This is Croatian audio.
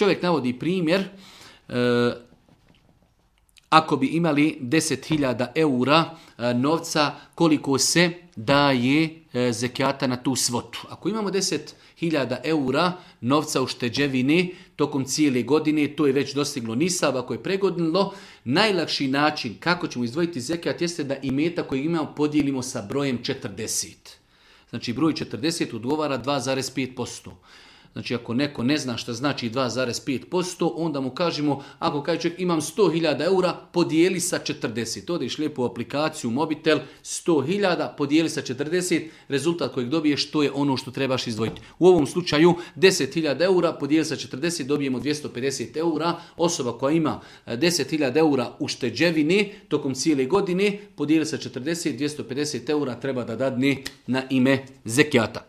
Čovjek navodi primjer, ako bi imali 10.000 eura novca, koliko se daje zekijata na tu svotu. Ako imamo 10.000 eura novca u šteđevini tokom cijele godine, to je već dostiglo nisab, ako je pregodnilo, najlakši način kako ćemo izdvojiti zekijat jeste da imetak koji imamo podijelimo sa brojem 40. Znači broj 40 odgovara 2,5%. Znači ako neko ne zna šta znači 2,5%, onda mu kažemo, ako kaže čovjek imam 100.000 eura, podijeli sa 40. Odeš lijepo u aplikaciju, mobitel, 100.000, podijeli sa 40, rezultat kojeg dobiješ, to je ono što trebaš izdvojiti. U ovom slučaju 10.000 eura, podijeli sa 40, dobijemo 250 eura. Osoba koja ima 10.000 eura u šteđevini tokom cijele godine, podijeli sa 40, 250 eura treba da dadne na ime zekijata.